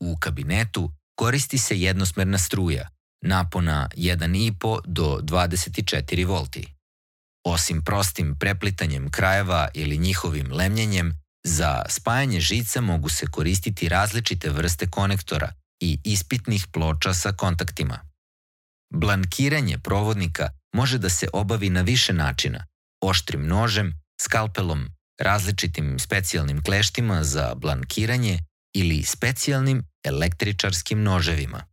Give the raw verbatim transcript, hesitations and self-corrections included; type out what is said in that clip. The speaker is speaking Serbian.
U kabinetu koristi se jednosmerna struja, napona jedan i po do dvadeset četiri volti. Osim prostim preplitanjem krajeva ili njihovim lemljenjem, za spajanje žica mogu se koristiti različite vrste konektora i ispitnih ploča sa kontaktima. Blankiranje provodnika može da se obavi na više načina: oštrim nožem, skalpelom, različitim specijalnim kleštima za blankiranje ili specijalnim električarskim noževima.